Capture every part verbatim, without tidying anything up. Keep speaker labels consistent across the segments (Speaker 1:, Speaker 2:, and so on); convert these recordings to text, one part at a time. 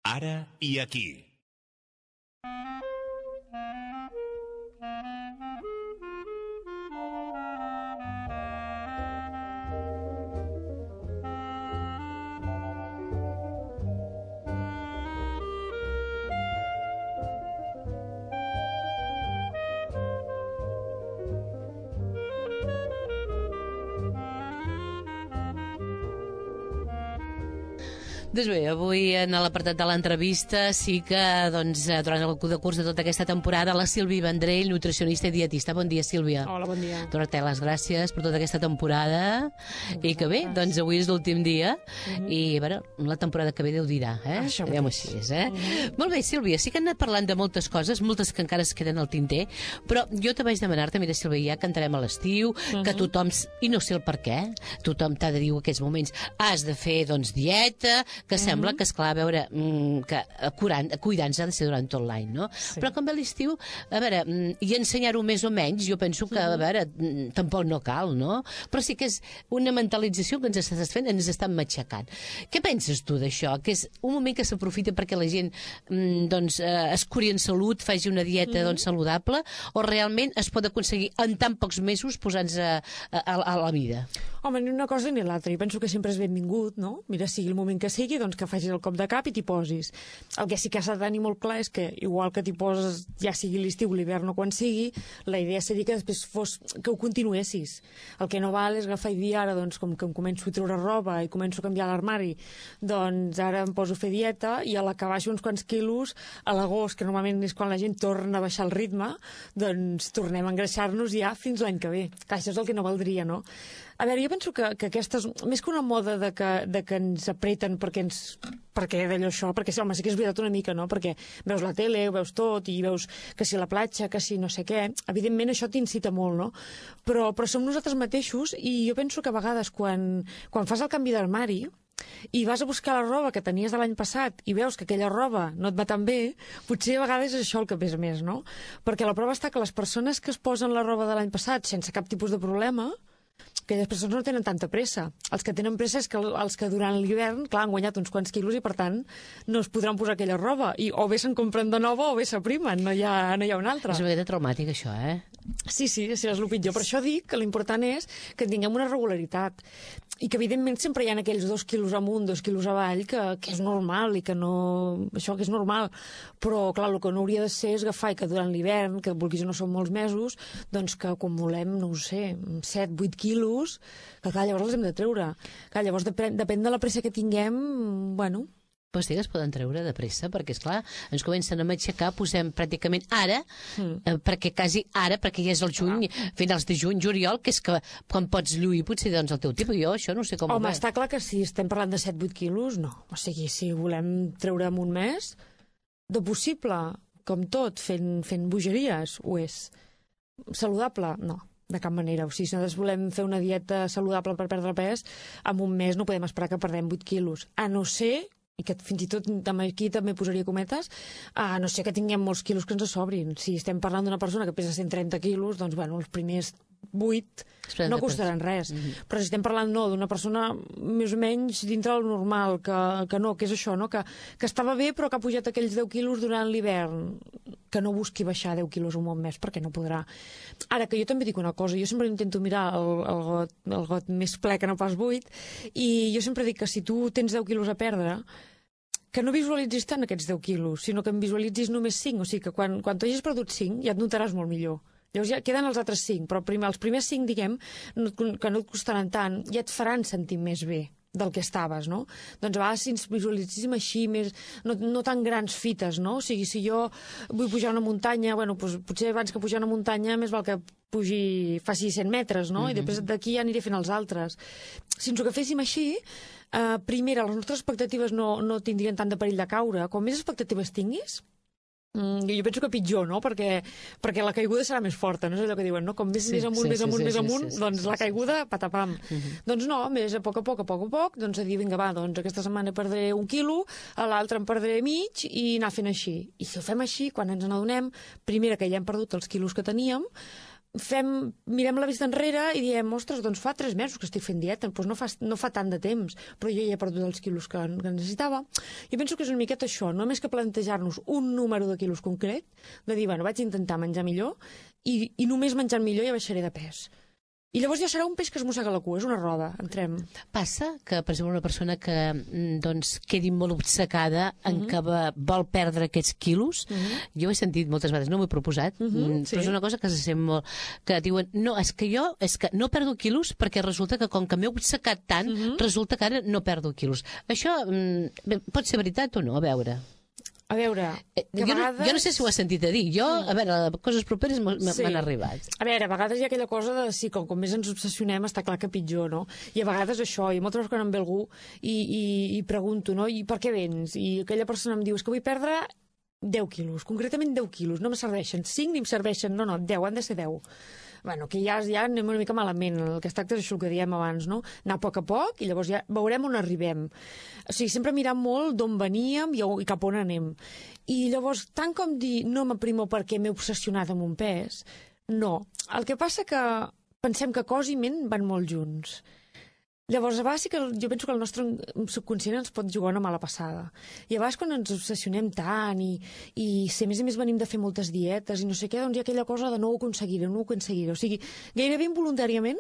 Speaker 1: Ara i aquí.
Speaker 2: Doncs bé, avui en l'apartat de l'entrevista sí que doncs, durant el decurs de tota aquesta temporada la Sílvia Vendrell, nutricionista i dietista. Bon dia, Sílvia.
Speaker 3: Hola, bon dia.
Speaker 2: Donar-te les gràcies per tota aquesta temporada i que bé, doncs avui és l'últim dia uh-huh. i a veure, la temporada que ve Déu dirà, eh?
Speaker 3: Això
Speaker 2: Diguem-ho així, eh? Uh-huh. Molt bé, Sílvia, sí que hem anat parlant de moltes coses, moltes que encara es queden al tinter, però jo te vaig demanar-te, mira, Sílvia, ja cantarem a l'estiu, uh-huh. que tothom, i no sé el per què, tothom t'ha de dir en aquests moments, has de fer, doncs, dieta, que sembla mm-hmm. que, esclar, a veure, que cuidar-nos ha de ser durant tot l'any, no? Sí. Però com ve l'estiu, a veure, i ensenyar-ho més o menys, jo penso que, a veure, tampoc no cal, no? Però sí que és una mentalització que ens estàs fent, ens estan matxacant. Què penses tu d'això? Que és un moment que s'aprofita perquè la gent, doncs, es curi en salut, faci una dieta, mm-hmm. doncs, saludable, o realment es pot aconseguir en tan pocs mesos posant-se a, a, a la vida?
Speaker 3: Home, ni una cosa ni l'altra. Jo penso que sempre és benvingut, no? Mira, sigui el moment que sigui, doncs que facis el cop de cap i t'hi posis. El que sí que s'ha de tenir molt clar és que, igual que t'hi poses, ja sigui l'estiu, l'hivern o quan sigui, la idea seria que després fos, que ho continuessis. El que no val és agafar i dir ara, doncs, com que em començo a treure roba i començo a canviar l'armari, doncs ara em poso a fer dieta i a l'acabar uns quants quilos, a l'agost, que normalment és quan la gent torna a baixar el ritme, doncs tornem a engreixar-nos ja fins l'any que ve. Clar, això és el que no valdria, no? A veure, jo penso que, que aquestes, més que una moda de que, de que ens apreten perquè ens, perquè d'allò això, perquè home, sí que és veritat una mica, no? Perquè veus la tele, ho veus tot, i veus que si la platja, que si no sé què, evidentment això t'incita molt, no? Però, però som nosaltres mateixos, i jo penso que a vegades quan, quan fas el canvi d'armari, i vas a buscar la roba que tenies de l'any passat i veus que aquella roba no et va tan bé, potser a vegades és això el que pesa més, no? Perquè la prova està que les persones que es posen la roba de l'any passat sense cap tipus de problema, aquelles persones no tenen tanta pressa. Els que tenen pressa és que els que durant l'hivern, clar, han guanyat uns quants quilos i, per tant, no es podran posar aquella roba. I o bé se'n compren de nova o bé s'aprimen, no hi ha, no hi ha una altra.
Speaker 2: És una mica traumàtic, això, eh?
Speaker 3: Sí, sí, sí, és el pitjor. Per això dic que l'important és que tinguem una regularitat i que, evidentment, sempre hi ha aquells dos quilos amunt, dos quilos avall, que, que és normal i que no... Això que és normal. Però, clar, el que no hauria de ser és agafar i que durant l'hivern, que vulguis o no són molts mesos, doncs que quan volem, no ho sé, set, vuit quilos, que clar, llavors els hem de treure. Clar, llavors depèn, depèn de la pressa que tinguem, bueno...
Speaker 2: Però sí que es poden treure de pressa, perquè, esclar, ens comencen a matxacar, posem pràcticament ara, mm. eh, perquè quasi ara, perquè ja és el juny, ah. finals de juny, juliol, que és que quan pots lluir potser doncs el teu tipus, jo això no sé com...
Speaker 3: Home, està clar que si estem parlant de set vuit quilos, no. O sigui, si volem treure en un mes, de possible, com tot, fent, fent bogeries, ho és. Saludable? No. De cap manera. O sigui, si nosaltres volem fer una dieta saludable per perdre pes, en un mes no podem esperar que perdem vuit quilos. A no ser, i que fins i tot aquí també posaria cometes, a no ser que tinguem molts quilos que ens sobrin. Si estem parlant d'una persona que pesa cent trenta quilos, doncs, bueno, els primers vuit no costaran res. Mm-hmm. Però si estem parlant, no, d'una persona més o menys dintre del normal, que, que no, que és això, no? Que, que estava bé però que ha pujat aquells deu quilos durant l'hivern, que no busqui baixar deu quilos un bon mes, perquè no podrà. Ara, que jo també dic una cosa, jo sempre intento mirar el, el, got, el got més ple que no pas buit, i jo sempre dic que si tu tens deu quilos a perdre, que no visualitzis tant aquests deu quilos, sinó que en visualitzis només cinc, o sigui que quan, quan tu hagis perdut cinc ja et notaràs molt millor. Llavors ja queden els altres cinc, però primer, els primers cinc, diguem, no, que no et costaran tant, ja et faran sentir més bé del que estaves, no? Doncs a vegades si ens visualitzéssim així, més, no, no tan grans fites, no? O sigui, si jo vull pujar una muntanya, bueno, doncs, potser abans que pujar una muntanya més val que pugi, faci cent metres, no? Mm-hmm. I després d'aquí ja aniré fent els altres. Si ens ho agaféssim així, eh, primera, les nostres expectatives no, no tindrien tant de perill de caure. Com més expectatives tinguis, Mm, jo penso que pitjor, no? Perquè, perquè la caiguda serà més forta, no és allò que diuen, no? Com més, sí, més amunt, sí, més amunt, sí, més sí, amunt, sí, sí, doncs sí, la caiguda, patapam. Uh-huh. Doncs no, més a poc a poc, a poc a poc, doncs a dir, vinga, va, doncs aquesta setmana perdré un quilo, a l'altre en perdré mig, i anar fent així. I si ho fem així, quan ens n'adonem, primera que ja hem perdut els quilos que teníem, fem, mirem la vista enrere i diem, ostres, doncs fa tres mesos que estic fent dieta, doncs no fa, no fa tant de temps, però jo ja he perdut els quilos que, que necessitava. Jo penso que és una miqueta això, només que plantejar-nos un número de quilos concret, de dir, bueno, vaig intentar menjar millor i, i només menjant millor ja baixaré de pes. I llavors ja serà un peix que es mossega la cua, és una roda, entrem.
Speaker 2: Passa que, per exemple, una persona que doncs, quedi molt obcecada en uh-huh. que va, vol perdre aquests quilos, uh-huh. jo he sentit moltes vegades, no m'ho he proposat, uh-huh, sí. però és una cosa que se sent molt, que diuen, no, és que jo és que no perdo quilos perquè resulta que com que m'he obcecat tant, uh-huh. resulta que ara no perdo quilos. Això bé, pot ser veritat o no? A veure...
Speaker 3: A veure,
Speaker 2: jo, vegades... no, jo no sé si ho has sentit a dir. Jo, a veure, coses properes m'han sí. arribat.
Speaker 3: A veure, a vegades hi ha aquella cosa de, sí, com, com més ens obsessionem, està clar que pitjor, no? I a vegades això, i moltes vegades quan em ve algú i, i, i pregunto, no? I per què vens? I aquella persona em diu, és que vull perdre deu quilos, concretament deu quilos, no me serveixen, cinc ni em serveixen, no, no, deu, han de ser deu. Bueno, que ja, ja anem una mica malament, el que es tracta és això que diem abans, no? Anar a poc a poc i llavors ja veurem on arribem. O sigui, sempre mirar molt d'on veníem i, i cap on anem. I llavors, tant com dir no m'aprimo perquè m'he obsessionat amb un pes, no. El que passa que pensem que cos i ment van molt junts. Llavors, a vegades sí que jo penso que el nostre subconscient ens pot jugar una mala passada. I a vegades quan ens obsessionem tant i, i si a més a més venim de fer moltes dietes i no sé què, doncs hi ha aquella cosa de no ho aconseguiré, no ho aconseguiré. O sigui, gairebé involuntàriament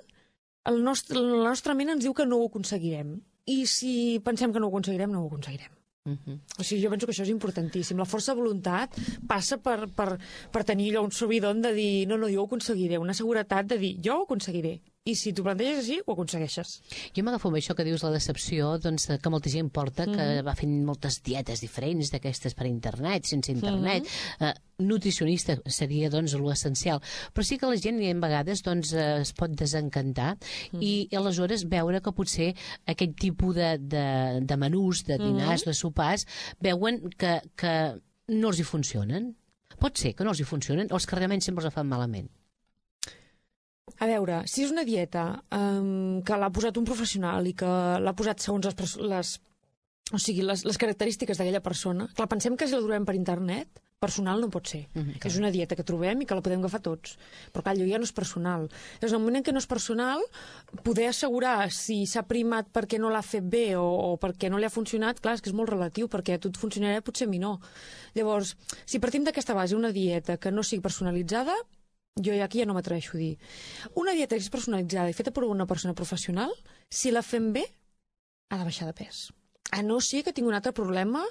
Speaker 3: el nostre, la nostra ment ens diu que no ho aconseguirem. I si pensem que no ho aconseguirem, no ho aconseguirem. Uh-huh. O sigui, jo penso que això és importantíssim. La força de voluntat passa per, per, per tenir allò un subidon de dir no, no, jo ho aconseguiré, una seguretat de dir jo ho aconseguiré. I si t'ho planteges així, ho aconsegueixes.
Speaker 2: Jo m'agafo amb això que dius la decepció, doncs, que molta gent porta, que mm-hmm. va fent moltes dietes diferents d'aquestes per internet, sense internet. Mm-hmm. Eh, nutricionista seria, doncs, l'essencial. Però sí que la gent, a vegades, doncs, eh, es pot desencantar mm-hmm. i, i aleshores veure que potser aquest tipus de, de, de menús, de dinars, mm-hmm. de sopars, veuen que, que no els hi funcionen. Pot ser que no els hi funcionen o els que realment sempre els fan malament.
Speaker 3: A veure, si és una dieta um, que l'ha posat un professional i que l'ha posat segons les, les, o sigui, les, les característiques d'aquella persona, clar, pensem que si la trobem per internet, personal no pot ser. Mm-hmm, és una dieta que trobem i que la podem agafar tots. Però clar, allò ja no és personal. Llavors, en el moment en què no és personal, poder assegurar si s'ha primat perquè no l'ha fet bé o, o perquè no li ha funcionat, clar, és que és molt relatiu, perquè a tu et funcionarà, potser a mi no. Llavors, si partim d'aquesta base, una dieta que no sigui personalitzada, jo aquí ja no m'atreveixo a dir. Una dieta que és personalitzada i feta per una persona professional, si la fem bé, ha de baixar de pes. A no ser que tingui un altre problema,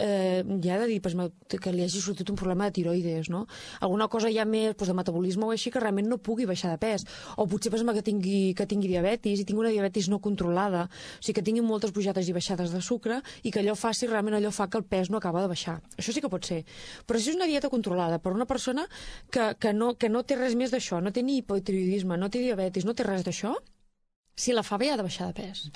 Speaker 3: eh, ja de dir pues, que li hagi sortit un problema de tiroides, no? Alguna cosa ja més pues, de metabolisme o així que realment no pugui baixar de pes. O potser pues, que, tingui, que tingui diabetis i tingui una diabetis no controlada, o sigui que tingui moltes pujades i baixades de sucre i que allò faci, realment allò fa que el pes no acaba de baixar. Això sí que pot ser. Però si és una dieta controlada per una persona que, que, no, que no té res més d'això, no té ni hipotiroidisme, no té diabetis, no té res d'això, si la fa bé ha de baixar de pes.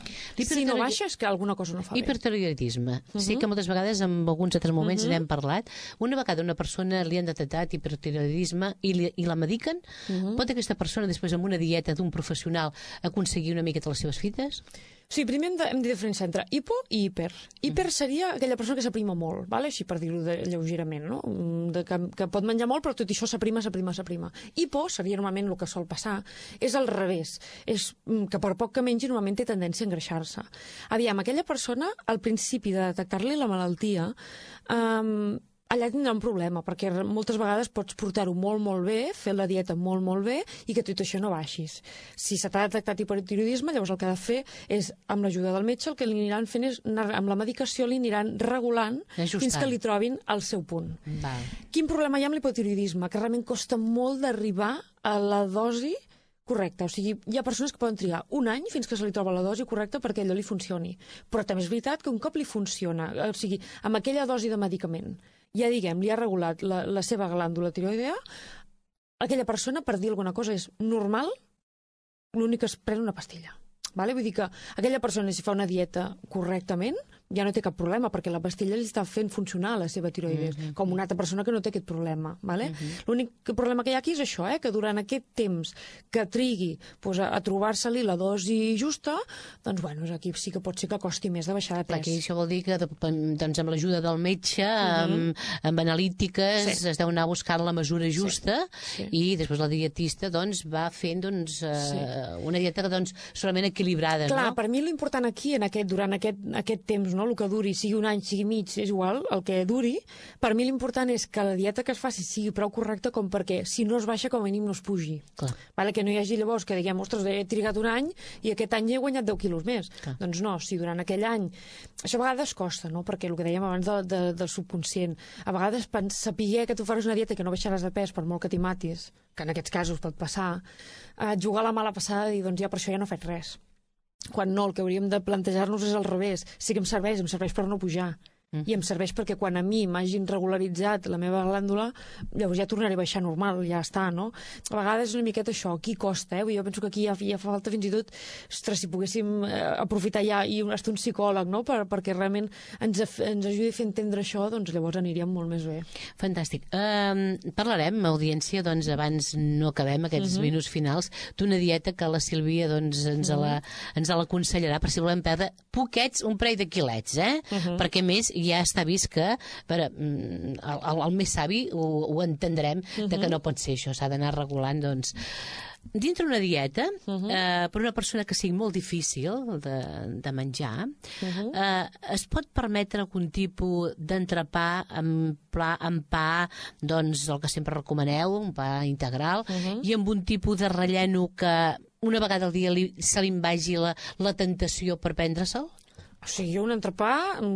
Speaker 3: Si no baixa és que alguna cosa no fa bé.
Speaker 2: Hipertiroidisme. Uh-huh. Sí que moltes vegades en alguns altres moments uh-huh. n'hem parlat. Una vegada una persona li han detectat hipertiroidisme i, li, i la mediquen, uh-huh. pot aquesta persona després amb una dieta d'un professional aconseguir una miqueta les seves fites?
Speaker 3: Sí, primer hem de, hem de diferenciar entre hipo i hiper. Hiper seria aquella persona que s'aprima molt, vale? Així per dir-ho lleugerament, no? De que, que pot menjar molt, però tot això s'aprima, s'aprima, s'aprima. Hipo seria normalment el que sol passar, és al revés. És que per poc que mengi normalment té tendència a engreixar-se. Aviam, aquella persona, al principi de detectar-li la malaltia, um, allà tindrà un problema, perquè moltes vegades pots portar-ho molt, molt bé, fer la dieta molt, molt bé, i que tot això no baixis. Si se t'ha detectat hipertiroidisme, llavors el que ha de fer és, amb l'ajuda del metge, el que li aniran fent és, amb la medicació, li aniran regulant Ajustant. Fins que li trobin el seu punt.
Speaker 2: Val.
Speaker 3: Quin problema hi ha amb l'hipotiroidisme? Que realment costa molt d'arribar a la dosi correcte. O sigui, hi ha persones que poden trigar un any fins que se li troba la dosi correcta perquè allò li funcioni. Però també és veritat que un cop li funciona, o sigui, amb aquella dosi de medicament, ja diguem, li ha regulat la, la seva glàndula tiroidea, aquella persona, per dir alguna cosa, és normal, l'únic que es pren una pastilla. Vale? Vull dir que aquella persona, si fa una dieta correctament, ja no té cap problema, perquè la pastilla li està fent funcionar la seva tiroides, mm -hmm. com una altra persona que no té aquest problema. Vale? Mm -hmm. L'únic problema que hi ha aquí és això, eh? que durant aquest temps que trigui pues, a, a trobar-se-li la dosi justa, doncs bueno, aquí sí que pot ser que costi més de baixar de pes.
Speaker 2: Aquí això vol dir que doncs, amb l'ajuda del metge, amb, mm -hmm. amb analítiques, sí. es deu anar buscant la mesura justa sí. Sí. i després la dietista doncs, va fent doncs, eh, sí. una dieta doncs, solament equilibrada.
Speaker 3: Clar,
Speaker 2: no?
Speaker 3: per mi l'important aquí, en aquest, durant aquest, aquest temps, no? El que duri, sigui un any, sigui mig, és igual, el que duri, per mi l'important és que la dieta que es faci sigui prou correcta com perquè, si no es baixa, com a mínim no es pugi. Vale? Que no hi hagi llavors que diguem, ostres, he trigat un any i aquest any he guanyat deu quilos més. Clar. Doncs no, si durant aquell any... Això a vegades costa, no? Perquè el que dèiem abans de, de, del subconscient, a vegades saber que tu faràs una dieta i que no baixaràs de pes per molt que t'hi matis, que en aquests casos pot passar, eh, jugar a la mala passada i dir, doncs ja per això ja no faig res. Quan no, el que hauríem de plantejar-nos és al revés. Sí que em serveix, em serveix per no pujar. Mm. I em serveix perquè quan a mi m'hagin regularitzat la meva glàndula, llavors ja tornaré a baixar normal, ja està, no? A vegades és una miqueta això, aquí costa, eh? Jo penso que aquí ja, ja fa falta fins i tot, ostres, si poguéssim eh, aprofitar ja i estar un psicòleg, no? Per, perquè realment ens, ens ajudi a fer entendre això, doncs llavors aniríem molt més bé.
Speaker 2: Fantàstic. Um, parlarem, audiència, doncs abans no acabem aquests uh -huh. minuts finals, d'una dieta que la Sílvia doncs, ens, uh -huh. la, ens l'aconsellarà per si volem perdre poquets, un parell de quilets, eh? Uh -huh. Perquè més ja està vist que veure, el, el, el més savi ho, ho entendrem, uh -huh. de que no pot ser això, s'ha d'anar regulant, doncs dintre una dieta, uh -huh. eh, per una persona que sigui molt difícil de, de menjar, uh -huh. eh, es pot permetre algun tipus d'entrepà amb, pla, amb pa, doncs el que sempre recomaneu, un pa integral, uh -huh. i amb un tipus de relleno que una vegada al dia li, se li vagi la, la tentació per prendre-se'l?
Speaker 3: O sigui, jo un entrepà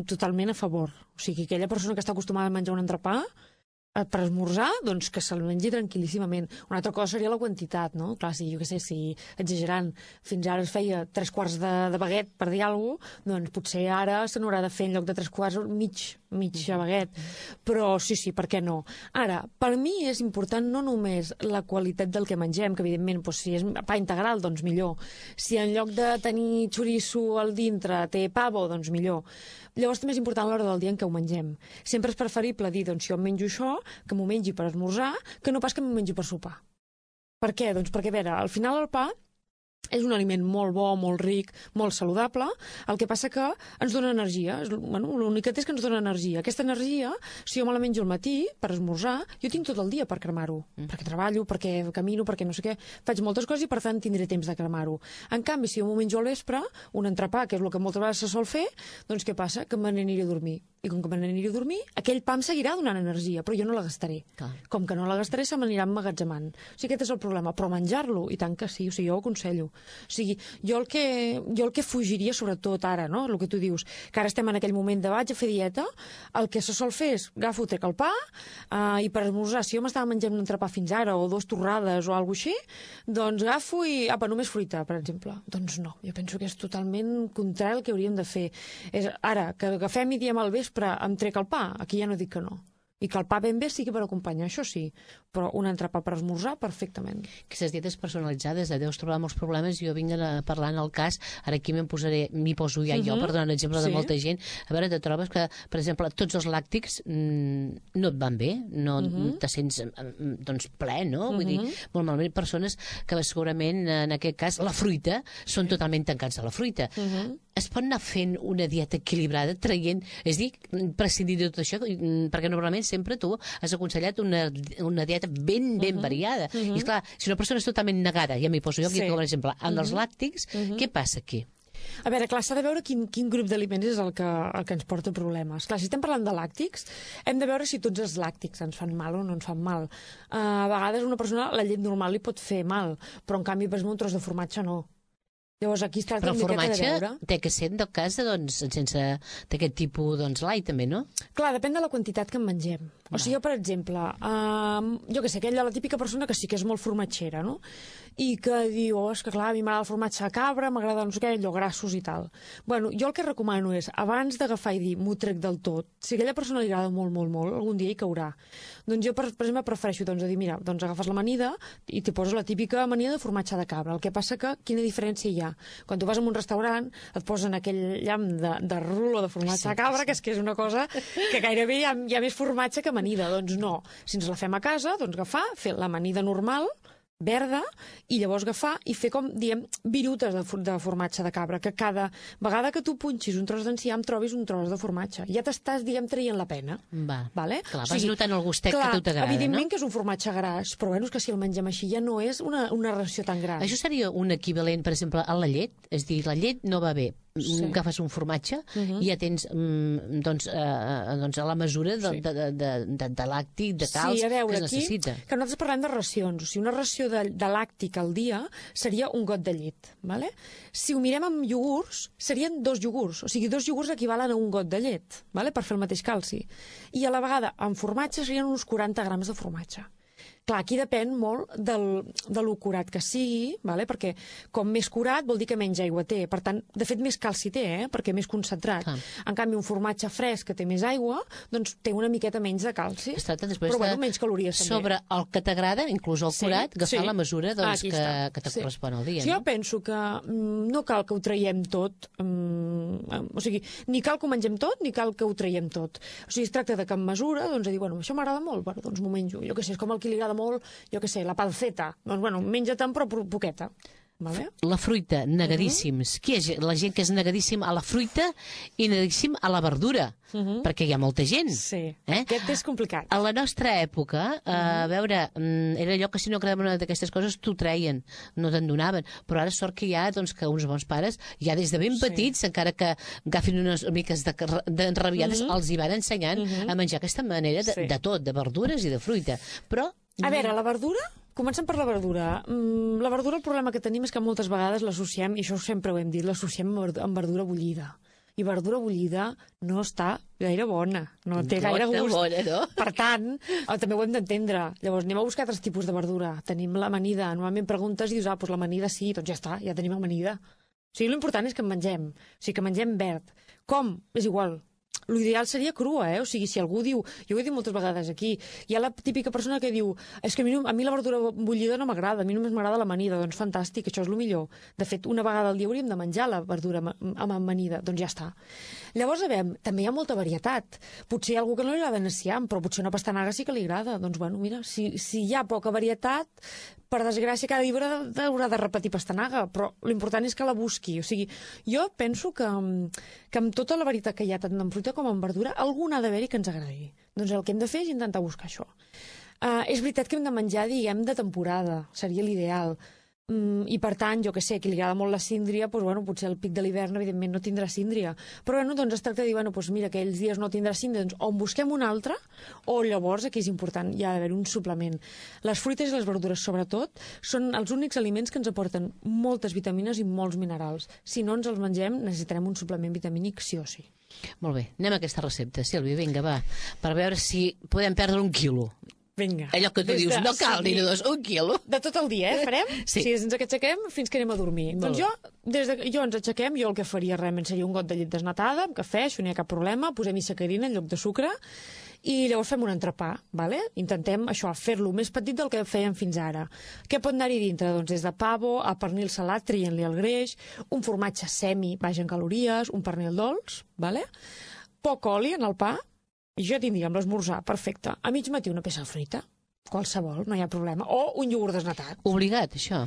Speaker 3: totalment a favor. O sigui, aquella persona que està acostumada a menjar un entrepà per esmorzar, doncs que se'l mengi tranquil·líssimament. Una altra cosa seria la quantitat, no? Clar, si, jo què sé, si exagerant, fins ara es feia tres quarts de, de baguet, per dir alguna cosa, doncs potser ara se n'haurà de fer en lloc de tres quarts mig, mig baguet. Però sí, sí, per què no? Ara, per mi és important no només la qualitat del que mengem, que evidentment, doncs, si és pa integral, doncs millor. Si en lloc de tenir xoriço al dintre té pavo, doncs millor. Llavors també és important l'hora del dia en què ho mengem. Sempre és preferible dir, doncs si jo em menjo això, que m'ho mengi per esmorzar, que no pas que m'ho mengi per sopar. Per què? Doncs perquè, a veure, al final el pa és un aliment molt bo, molt ric, molt saludable, el que passa que ens dona energia. Bueno, l'únic que té és que ens dona energia. Aquesta energia, si jo me la menjo al matí per esmorzar, jo tinc tot el dia per cremar-ho. Mm. Perquè treballo, perquè camino, perquè no sé què. Faig moltes coses i, per tant, tindré temps de cremar-ho. En canvi, si jo m'ho menjo al vespre, un entrepà, que és el que moltes vegades se sol fer, doncs què passa? Que me n'aniré a dormir. I com que me n'aniré a dormir, aquell pa em seguirà donant energia, però jo no la gastaré. Clar. Com que no la gastaré, se m'anirà emmagatzemant. O sigui, aquest és el problema. Però menjar-lo, i tant que sí, o sigui, jo ho aconsello. O sigui, jo el que, jo el que fugiria, sobretot ara, no?, el que tu dius, que ara estem en aquell moment de vaig a fer dieta, el que se sol fer és agafo, trec el pa, eh, i per esmorzar, si jo m'estava menjant un entrepà fins ara, o dues torrades o alguna cosa així, doncs agafo i, apa, només fruita, per exemple. Doncs no, jo penso que és totalment contrari al que hauríem de fer. És, ara, que agafem i diem al vespre, em trec el pa, aquí ja no dic que no. I que el pa ben bé sigui per acompanyar, això sí, però un entrepà per esmorzar, perfectament.
Speaker 2: Aquestes dietes personalitzades, deus trobar molts problemes, jo vinc a parlar en el cas, ara aquí m'hi posaré, m'hi poso ja uh -huh. jo, per donar un exemple sí. de molta gent, a veure, te trobes que, per exemple, tots els làctics mm, no et van bé, no uh -huh. te sents doncs ple, no? Vull uh -huh. dir, molt malament, persones que segurament, en aquest cas, la fruita, són totalment tancats a la fruita. Uh -huh. Es pot anar fent una dieta equilibrada, traient, és dir, prescindir de tot això, perquè normalment sempre tu has aconsellat una, una dieta ben, ben uh -huh. variada. Uh -huh. I esclar, si una persona és totalment negada, ja m'hi poso jo aquí sí. com a exemple, amb uh -huh. els làctics, uh -huh. què passa aquí?
Speaker 3: A veure, clar, s'ha de veure quin, quin grup d'aliments és el que, el que ens porta problemes. Clar, si estem parlant de làctics, hem de veure si tots els làctics ens fan mal o no ens fan mal. Uh, a vegades una persona, la llet normal li pot fer mal, però en canvi, per exemple, un tros de formatge no. Llavors aquí es tracta
Speaker 2: però el formatge té que ser, en tot cas, doncs, sense d'aquest tipus doncs, light, també, no?
Speaker 3: Clar, depèn de la quantitat que en mengem. O sigui, jo, per exemple, uh, jo que sé, aquella, la típica persona que sí que és molt formatgera, no? I que diu, oh, és que clar, a mi m'agrada el formatge de cabra, m'agrada no sé què, allò grassos i tal. Bueno, jo el que recomano és, abans d'agafar i dir, m'ho trec del tot, si a aquella persona li agrada molt, molt, molt, algun dia hi caurà. Doncs jo, per, per exemple, prefereixo doncs, dir, mira, doncs agafes l'amanida i t'hi poses la típica amanida de formatge de cabra. El que passa que, quina diferència hi ha? amanida. Quan tu vas a un restaurant et posen aquell llamp de, de rulo de formatge de cabra, que és que és una cosa que gairebé hi ha, hi ha més formatge que amanida. Doncs no. Si ens la fem a casa, doncs agafar, fer l'amanida normal, verda, i llavors agafar i fer com, diem, virutes de, de formatge de cabra, que cada vegada que tu punxis un tros d'enciam trobis un tros de formatge. Ja t'estàs, diguem, traient la pena.
Speaker 2: Va.
Speaker 3: Vale?
Speaker 2: Clar, vas o sigui, notant el gustet clar, que a tu t'agrada,
Speaker 3: evidentment
Speaker 2: no?
Speaker 3: que és un formatge gras, però bueno, és que si el mengem així ja no és una, una ració tan gran.
Speaker 2: Això seria un equivalent, per exemple, a la llet? És dir, la llet no va bé. Sí. Agafes un formatge uh -huh. i ja tens mm, doncs, eh, doncs a la mesura de, sí. de, de, de, de, de làctic, de calç,
Speaker 3: sí, veure,
Speaker 2: que es necessita.
Speaker 3: Aquí, que nosaltres parlem de racions. O sigui, una ració de, de làctic al dia seria un got de llet. Vale? Si ho mirem amb iogurts, serien dos iogurts. O sigui, dos iogurts equivalen a un got de llet, vale? Per fer el mateix calci. I a la vegada, amb formatge, serien uns quaranta grams de formatge. Clar, aquí depèn molt del, de lo curat que sigui, vale? Perquè com més curat vol dir que menys aigua té. Per tant, de fet, més calci té, eh? Perquè més concentrat. Ah. En canvi, un formatge fresc que té més aigua, doncs té una miqueta menys de calci.
Speaker 2: Es tracta després
Speaker 3: però,
Speaker 2: de,
Speaker 3: bueno, menys calories també.
Speaker 2: Sobre el que t'agrada, inclús el curat, sí, agafar
Speaker 3: sí.
Speaker 2: la mesura doncs,
Speaker 3: que,
Speaker 2: que te
Speaker 3: sí.
Speaker 2: correspon al dia.
Speaker 3: Sí,
Speaker 2: no?
Speaker 3: Jo penso que mm, no cal que ho traiem tot. Mm, o sigui, ni cal que ho mengem tot, ni cal que ho traiem tot. O sigui, es tracta de que amb mesura, doncs, a dir, bueno, això m'agrada molt, bueno, doncs m'ho menjo. Jo què sé, és com el que li agrada molt, jo què sé, la panceta. Doncs, bueno, menja-te'n, però poqueta. Vale?
Speaker 2: La fruita, negadíssims. Uh -huh. Qui és la gent que és negadíssim a la fruita i negadíssim a la verdura? Uh -huh. Perquè hi ha molta gent.
Speaker 3: Sí,
Speaker 2: eh?
Speaker 3: aquest és complicat.
Speaker 2: A la nostra època, uh, -huh. a veure, era allò que si no agradava una d'aquestes coses t'ho treien, no te'n donaven. Però ara sort que hi ha doncs, que uns bons pares, ja des de ben petits, sí. encara que agafin unes miques d'enrabiades, de, de, uh -huh. els hi van ensenyant uh -huh. a menjar aquesta manera de, sí. de tot, de verdures i de fruita. Però...
Speaker 3: A veure, la verdura... Comencem per la verdura. Mm, la verdura, el problema que tenim és que moltes vegades l'associem, i això sempre ho hem dit, l'associem amb verdura bullida. I verdura bullida no està gaire bona, no té gaire gust.
Speaker 2: Bona, no?
Speaker 3: Per tant, també ho hem d'entendre. Llavors, anem a buscar altres tipus de verdura. Tenim l'amanida. Normalment preguntes i dius, ah, doncs l'amanida sí, doncs ja està, ja tenim amanida. O sigui, l'important és que en mengem. O sigui, que mengem verd. Com? És igual. L'ideal seria crua, eh? O sigui, si algú diu... Jo ho he dit moltes vegades aquí. Hi ha la típica persona que diu és que a mi, no, a mi la verdura bullida no m'agrada, a mi només m'agrada l'amanida. Doncs fantàstic, això és el millor. De fet, una vegada al dia hauríem de menjar la verdura amb amanida. Doncs ja està. Llavors, a veure, també hi ha molta varietat. Potser hi ha algú que no li agrada enciam, però potser una pastanaga sí que li agrada. Doncs, bueno, mira, si, si hi ha poca varietat, per desgràcia, cada dia haurà de repetir pastanaga, però l'important és que la busqui. O sigui, jo penso que, que amb tota la varietat que hi ha, tant en fruita com en verdura, alguna ha d'haver-hi que ens agradi. Doncs el que hem de fer és intentar buscar això. Uh, és veritat que hem de menjar, diguem, de temporada, seria l'ideal. Mm, I per tant, jo que sé, que li agrada molt la síndria, doncs, bueno, potser al pic de l'hivern evidentment no tindrà síndria, però bueno, doncs es tracta de dir, bueno, doncs mira, aquells dies no tindrà síndria, doncs o en busquem una altra, o llavors, aquí és important, hi ha d'haver un suplement. Les fruites i les verdures, sobretot, són els únics aliments que ens aporten moltes vitamines i molts minerals. Si no ens els mengem, necessitarem un suplement vitamínic sí o sí.
Speaker 2: Molt bé, anem a aquesta recepta, Sílvia, vinga, va, per veure si podem perdre un quilo.
Speaker 3: Vinga.
Speaker 2: Allò que tu dius, de... no cal ni dos, un quilo.
Speaker 3: De tot el dia, eh, farem?
Speaker 2: Sí.
Speaker 3: Si ens aixequem fins que anem a dormir.
Speaker 2: Molt
Speaker 3: doncs jo, des de jo ens aixequem, jo el que faria realment seria un got de llet desnatada, amb cafè, això no hi ha cap problema, posem-hi sacarina en lloc de sucre, i llavors fem un entrepà, vale? Intentem això, fer-lo més petit del que fèiem fins ara. Què pot anar-hi dintre? Doncs des de pavo a pernil salat, traient-li el greix, un formatge semi, baix en calories, un pernil dolç, vale? Poc oli en el pa, i jo tindria amb l'esmorzar, perfecte. A mig matí una peça de fruita, qualsevol, no hi ha problema. O un iogurt desnatat.
Speaker 2: Obligat, això?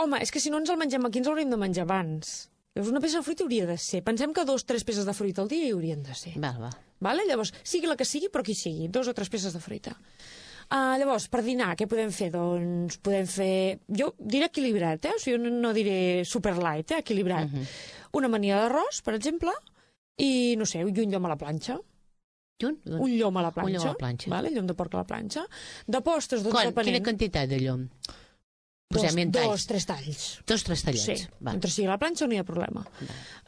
Speaker 3: Home, és que si no ens el mengem aquí, ens l'hauríem de menjar abans. Llavors una peça de fruita hauria de ser. Pensem que dos, tres peces de fruita al dia hi haurien de ser.
Speaker 2: Va, va.
Speaker 3: Vale? Llavors, sigui la que sigui, però qui sigui, dos o tres peces de fruita. Uh, llavors, per dinar, què podem fer? Doncs podem fer... Jo diré equilibrat, eh? O sigui, no, no diré super light, eh? Equilibrat. Uh -huh. Una amanida d'arròs, per exemple, i, no sé, un llom a la planxa.
Speaker 2: Un,
Speaker 3: un llom a la planxa,
Speaker 2: un llom a la planxa.
Speaker 3: Vale? Llom de porc a la planxa. De postres, doncs,
Speaker 2: Quan?
Speaker 3: depenent...
Speaker 2: Quina quantitat de llom?
Speaker 3: Dos,
Speaker 2: Posem-hi
Speaker 3: dos, tres talls.
Speaker 2: Dos, tres tallets.
Speaker 3: Sí,
Speaker 2: va.
Speaker 3: mentre sigui a la planxa no hi ha problema.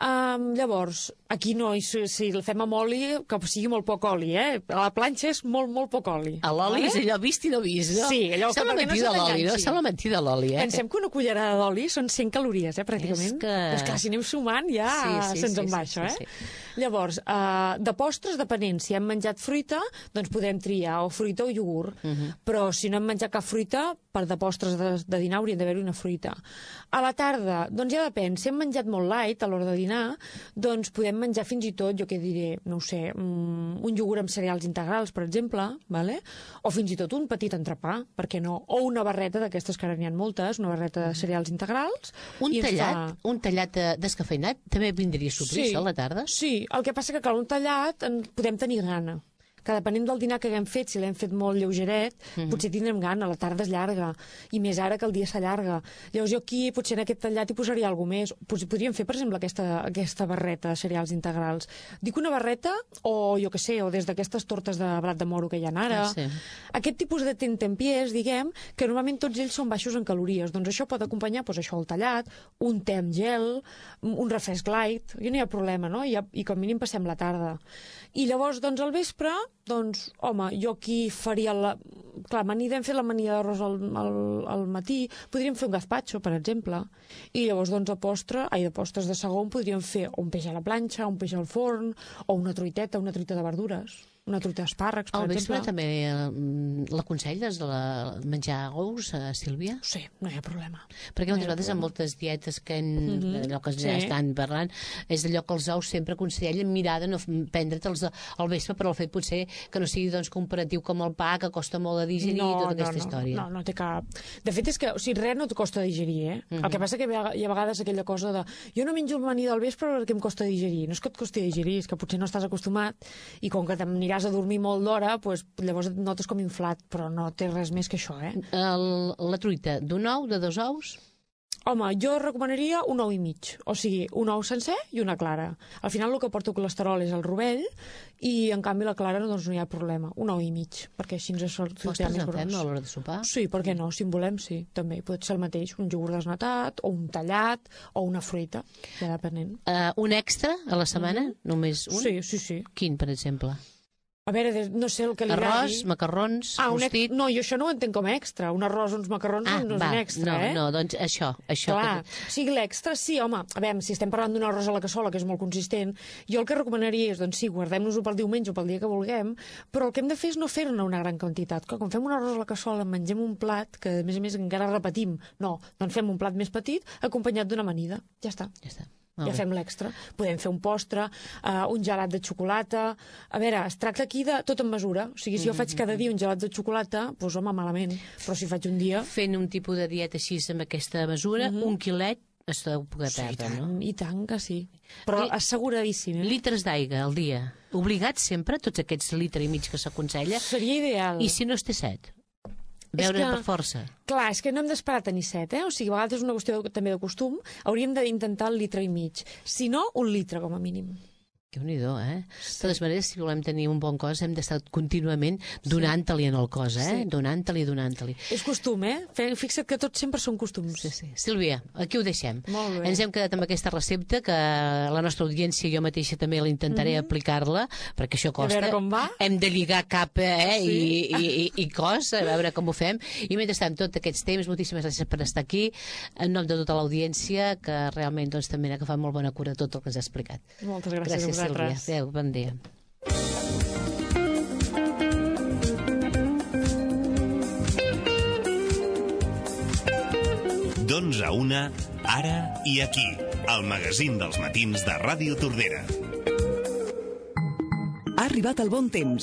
Speaker 3: Um, llavors, aquí no, si, si el fem amb oli, que sigui molt poc oli, eh? A la planxa és molt, molt poc oli.
Speaker 2: L'oli vale? És allò vist i no vist, no?
Speaker 3: Sí, allò
Speaker 2: Sembla
Speaker 3: que perquè no se
Speaker 2: l'oli, no? Sembla mentir de l'oli, eh?
Speaker 3: Pensem que una cullerada d'oli són cent calories, eh, pràcticament.
Speaker 2: És que...
Speaker 3: Però és clar, si anem sumant ja
Speaker 2: sí, sí,
Speaker 3: se'ns
Speaker 2: sí,
Speaker 3: en va,
Speaker 2: sí,
Speaker 3: això,
Speaker 2: sí,
Speaker 3: eh?
Speaker 2: Sí.
Speaker 3: Llavors, uh, de postres, depenent, si hem menjat fruita, doncs podem triar o fruita o iogurt. Uh -huh. Però si no hem menjat cap fruita, per de postres de, de dinar hauria d'haver-hi una fruita. A la tarda, doncs ja depèn. Si hem menjat molt light a l'hora de dinar, doncs podem menjar fins i tot, jo què diré, no ho sé, un iogurt amb cereals integrals, per exemple, vale? O fins i tot un petit entrepà, per què no? O una barreta d'aquestes que ara n'hi ha moltes, una barreta de cereals integrals.
Speaker 2: Un tallat, fa... un tallat descafeinat també vindria sorpresa sí, a la tarda?
Speaker 3: Sí, el que passa que, clar, un tallat en podem tenir gana. Que depenent del dinar que haguem fet, si l'hem fet molt lleugeret, mm -hmm. potser tindrem gana, la tarda és llarga, i més ara que el dia s'allarga. Llavors jo aquí, potser en aquest tallat hi posaria alguna més. Potser podríem fer, per exemple, aquesta, aquesta barreta de cereals integrals. Dic una barreta, o jo que sé, o des d'aquestes tortes de blat de moro que hi ha ara. Ah, sí. Aquest tipus de tentempiés, diguem, que normalment tots ells són baixos en calories. Doncs això pot acompanyar, doncs això, el tallat, un te amb gel, un refresc light, i no hi ha problema, no? I, i com a mínim passem la tarda. I llavors, doncs, al vespre, doncs, home, jo aquí faria la... Clar, anirem fer l'amanida d'arròs al, al, al matí, podríem fer un gazpacho, per exemple, i llavors, doncs, a postre, ai, de postres de segon, podríem fer un peix a la planxa, un peix al forn, o una truiteta, una truita de verdures, una truita d'espàrrecs, per
Speaker 2: exemple. Al vespre
Speaker 3: exemple.
Speaker 2: també l'aconselles de la... menjar ous, uh, Sílvia?
Speaker 3: Sí, no hi ha problema.
Speaker 2: Perquè moltes no vegades en moltes dietes que en, mm -hmm. allò que ja sí. estan parlant, és d'allò que els ous sempre aconsellen mirar de no prendre'ls al vespre, però el fet potser que no sigui doncs, comparatiu com el pa, que costa molt de digerir, no, tota aquesta
Speaker 3: no, no,
Speaker 2: història.
Speaker 3: No, no té cap... De fet, és que, o sigui, res no et costa digerir, eh? Mm -hmm. El que passa que hi ha a vegades aquella cosa de jo no menjo amanida al vespre perquè em costa digerir. No és que et costi digerir, és que potser no estàs acostumat i com que t'aniràs a dormir molt d'hora, doncs, llavors et notes com inflat, però no té res més que això, eh?
Speaker 2: El, la truita, d'un ou, de dos ous?
Speaker 3: Home, jo recomanaria un ou i mig, o sigui, un ou sencer i una clara. Al final el que porta colesterol és el rovell i, en canvi, la clara doncs, no hi ha problema. Un ou i mig, perquè així ens surt
Speaker 2: Postres en fem a l'hora de sopar?
Speaker 3: Sí, per què no? Si en volem, sí, també. Pot ser el mateix, un iogurt desnatat, o un tallat, o una fruita, ja depenent.
Speaker 2: Uh, un extra a la setmana? Mm-hmm. Només un?
Speaker 3: Sí, sí, sí.
Speaker 2: Quin, per exemple?
Speaker 3: A veure, no sé el que li agradi.
Speaker 2: Arròs, macarrons,
Speaker 3: ah,
Speaker 2: rostit...
Speaker 3: No, jo això no ho entenc com a extra. Un arròs, uns macarrons
Speaker 2: ah,
Speaker 3: no és
Speaker 2: va,
Speaker 3: un extra,
Speaker 2: no,
Speaker 3: eh?
Speaker 2: No, doncs això. això
Speaker 3: Clar,
Speaker 2: que...
Speaker 3: o sigui, l'extra, sí, home, a veure, si estem parlant d'un arròs a la cassola, que és molt consistent, jo el que recomanaria és, doncs sí, guardem-nos-ho pel diumenge o pel dia que vulguem, però el que hem de fer és no fer-ne una gran quantitat. Clar, quan fem un arròs a la cassola, mengem un plat, que a més a més encara repetim. No, doncs fem un plat més petit, acompanyat d'una amanida. Ja està.
Speaker 2: Ja està.
Speaker 3: Ja fem l'extra. Podem fer un postre, uh, un gelat de xocolata... A veure, es tracta aquí de tot en mesura. O sigui, si jo faig cada dia un gelat de xocolata, doncs, home, malament. Però si faig un dia...
Speaker 2: Fent un tipus de dieta així amb aquesta mesura, mm-hmm. un quilet es deu poder
Speaker 3: sí,
Speaker 2: perdre,
Speaker 3: i tant,
Speaker 2: no?
Speaker 3: I tant que sí. Però I... asseguradíssim, eh?
Speaker 2: Litres d'aigua al dia. Obligats sempre, tots aquests litres i mig que s'aconsella?
Speaker 3: Seria ideal.
Speaker 2: I si no es té set? Beure per força.
Speaker 3: Clar, és que no hem d'esperar a tenir set, eh? O sigui, a vegades és una qüestió de, també de costum. Hauríem d'intentar el litre i mig. Si no, un litre, com a mínim.
Speaker 2: Déu-n'hi-do, eh? Sí. De totes maneres, si volem tenir un bon cos, hem d'estar contínuament donant-li en el cos, eh? Sí. Donant-li, donant-li.
Speaker 3: És costum, eh? Fixa't que tots sempre són costums.
Speaker 2: Sí, sí. Sílvia, aquí ho deixem.
Speaker 3: Molt bé.
Speaker 2: Ens hem quedat amb aquesta recepta, que la nostra audiència, jo mateixa també la intentaré mm-hmm. aplicar-la, perquè això costa.
Speaker 3: A veure com va.
Speaker 2: Hem de lligar cap, eh?
Speaker 3: Sí.
Speaker 2: I, i, i, i cos, a veure com ho fem. I mentrestant, tot aquests temps, moltíssimes gràcies per estar aquí, en nom de tota l'audiència, que realment doncs, també n'ha agafat molt bona cura de tot el que ens ha explicat.
Speaker 3: Moltes gràcies, gràcies a
Speaker 2: Sílvia.
Speaker 3: vosaltres.
Speaker 2: Adéu, bon dia.
Speaker 1: D'onze a una, ara i aquí, al magazín dels matins de Ràdio Tordera.
Speaker 4: Ha arribat el bon temps.